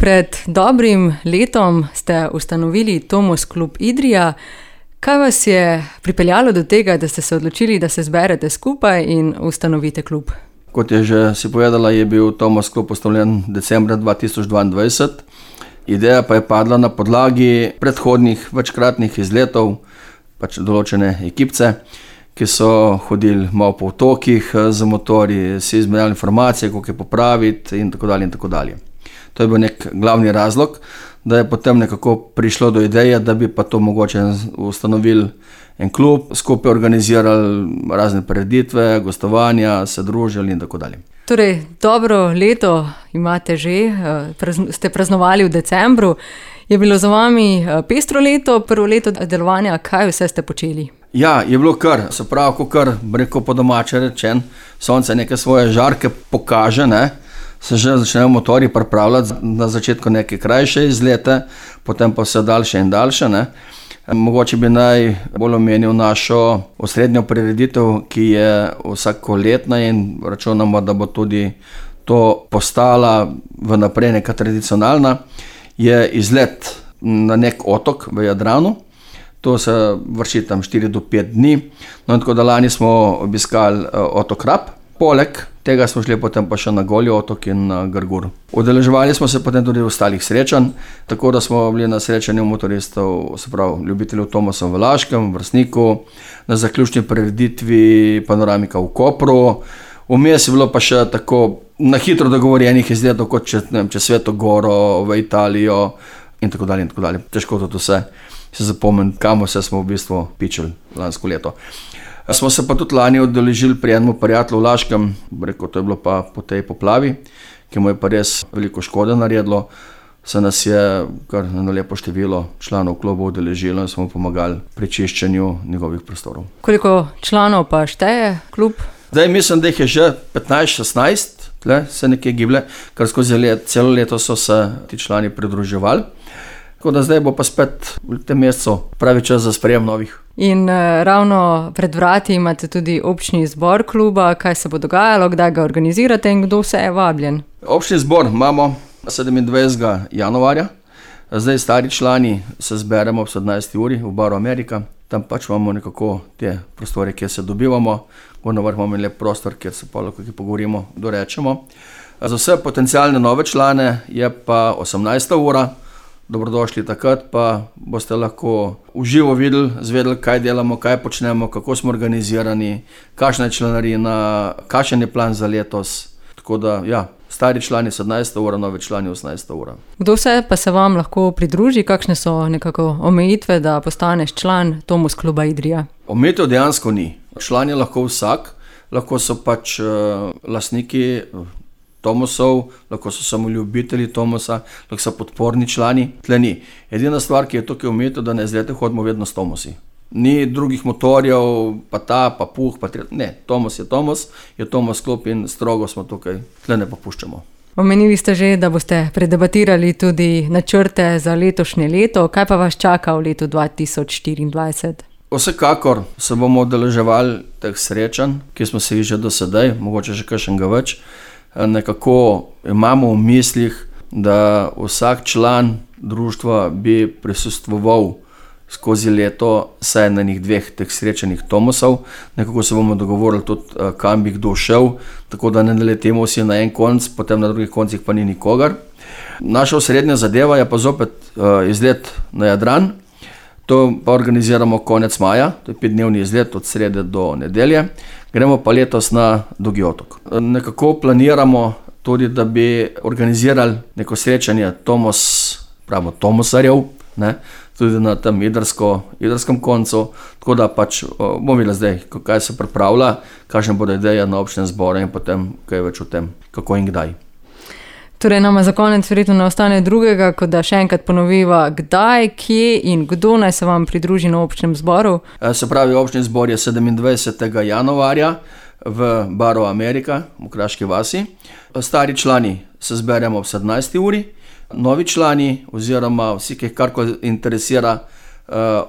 Pred dobrim letom ste ustanovili Tomos klub Idrija. Kaj vas je pripeljalo do tega, da ste se odločili, da se zberete skupaj in ustanovite klub? Kot je že si povedala, je bil Tomos klub ustanovljen decembra 2022. Ideja pa je padla na podlagi predhodnih večkratnih izletov, določene ekipce, ki so hodili malo po otokih z motorji, si izmenjali informacije, kako je popraviti in tako dalje in tako dalje. To je bil nek glavni razlog, da je potem nekako prišlo do ideje, da bi pa to mogoče ustanovili en klub, skupaj organizirali razne prireditve, gostovanja, se družili in tako dalje. Torej, dobro leto imate že, ste praznovali v decembru. Je bilo za vami pestro leto, prvo leto delovanja, kaj vse ste počeli? Ja, je bilo kar, se pravi, ko kar, rekel po domače rečen, sonce neke svoje žarke pokaže, se že začnejo motorji pripravljati na začetku neke krajše izlete, potem pa vse daljše in daljše. Mogoče bi najbolj omenil našo osrednjo prireditev, ki je vsakoletna in računamo, da bo tudi to postala vnaprej neka tradicionalna, je izlet na nek otok v Jadranu. To se vrši tam 4 do 5 dni. No, in tako da lani smo obiskali otok Rab. Poleg tega smo šli potem pa še na Golji otok in na Grgur. Udeleževali smo se potem tudi v ostalih srečanj, tako da smo bili na srečanju motoristov, se pravi ljubiteljev Tomosa v Laškem, v Vrstniku, na zaključni prireditvi Panoramika v Kopru. Vmes je bilo pa še tako na hitro dogovorjenih izletov, kot čez Sveto Goro, v Italijo in tako dalje in tako dalje. Težko tudi vse se zapomniti, kam vse smo v bistvu pičili lansko leto. Smo se pa tudi lani udeležili pri enem prijatelju v Laškem, rekel, to je bilo pa po tej poplavi, ki mu je pa res veliko škode naredilo. Se nas je kar na lepo število članov kluba udeležilo in smo pomagali pri čiščenju njegovih prostorov. Koliko članov pa šteje klub? Zdaj mislim, da jih je že 15-16, se nekje giblje, ker skozi celo leto so se ti člani pridruževali. Tako da zdaj bo pa spet v tem mesecu pravi čas za sprejem novih. In ravno pred vrati imate tudi občni zbor kluba. Kaj se bo dogajalo, kdaj ga organizirate in kdo vse je vabljen? Občni zbor imamo 27. januarja. Zdaj stari člani se zberemo ob 17. uri v baru Amerika. Tam imamo nekako te prostore, kjer se dobivamo. Gor na vrh imamo lep prostor, kjer se pa lahko pogovorimo, dorečemo. Za vse potencialne nove člane je pa 18. ura. Dobrodošli takrat, pa boste lahko uživo videli, zvedeli, kaj delamo, kaj počnemo, kako smo organizirani, kakšna je članarina, kakšen je plan za letos. Tako da, ja, stari člani 17. ura, novi člani 18. ura. Kdo vse pa se vam lahko pridruži? Kakšne so nekako omejitve, da postaneš član Tomos kluba Idrija? Omejitev dejansko ni. Član je lahko vsak, lahko so lastniki Tomosov, lahko so samo ljubitelji Tomosa, lahko so podporni člani. Tle ni. Edina stvar, ki je tukaj omejitev, da na izlete hodimo vedno s Tomosi. Ni drugih motorjev, pa ta, pa puh, pa tretji. Ne, Tomos je Tomos klub in strogo smo tukaj, tle ne popuščamo. Omenili ste že, da boste predebatirali tudi načrte za letošnje leto. Kaj pa vas čaka v letu 2024? Vsekakor se bomo udeleževali teh srečanj, ki smo se jih že do sedaj, mogoče še kakšnega več. Nekako imamo v mislih, da vsak član društva bi prisostvoval skozi leto saj na enih 2 teh srečanih Tomosov. Nekako se bomo dogovorili tudi, kam bi kdo šel, tako da ne naletimo vsi na en konc, potem na drugih koncih pa ni nikogar. Naša osrednja zadeva je pa zopet izlet na Jadran. To pa organiziramo konec maja, to je 5-dnevni izlet od srede do nedelje. Gremo pa letos na Dolgi otok. Nekako planiramo tudi, da bi organizirali neko srečanje Tomosarjev, tudi na tem idrskem koncu, tako da bomo videli zdaj, kaj se pripravlja, kakšne bodo ideje na občnem zboru in potem kaj več o tem, kako in kdaj. Torej nama za konec verjetno ne ostane drugega, kot da še enkrat ponoviva, kdaj, kje in kdo naj se vam pridruži na občnem zboru. Se pravi, občni zbor je 27. januarja v baru Amerika v Kraški vasi. Stari člani se zberemo ob 17. uri. Novi člani oziroma vsi, ki jih karkoli interesira,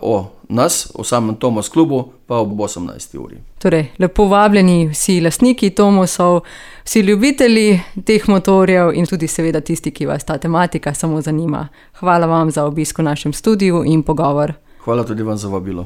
o nas, o samem Tomos klubu, pa ob 18. uri. Torej, lepo vabljeni vsi lastniki Tomosov, vsi ljubitelji teh motorjev in tudi seveda tisti, ki vas ta tematika samo zanima. Hvala vam za obisk v našem studiu in pogovor. Hvala tudi vam za vabilo.